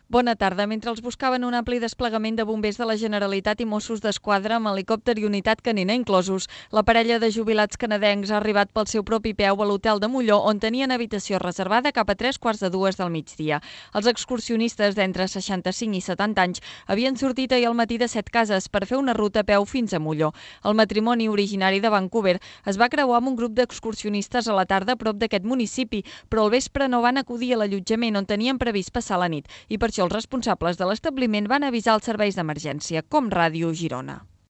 Bona tarda. Mentre els buscaven un ampli desplegament de bombers de la Generalitat i Mossos d'Esquadra amb helicòpter i unitat canina inclosos, la parella de jubilats canadencs ha arribat pel seu propi peu a l'hotel de Molló, on tenien habitació reservada cap a 3:15 del migdia. Els excursionistes d'entre 65 i 70 anys havien sortit ahir al matí de Setcases per fer una ruta a peu fins a Molló. El matrimoni, originari de Vancouver, es va creuar amb un grup d'excursionistes a la tarda a prop d'aquest municipi, però al vespre no van acudir a l'allotjament on tenien previst passar la nit i per això els responsables de l'establiment van avisar els serveis d'emergència, com Ràdio Girona.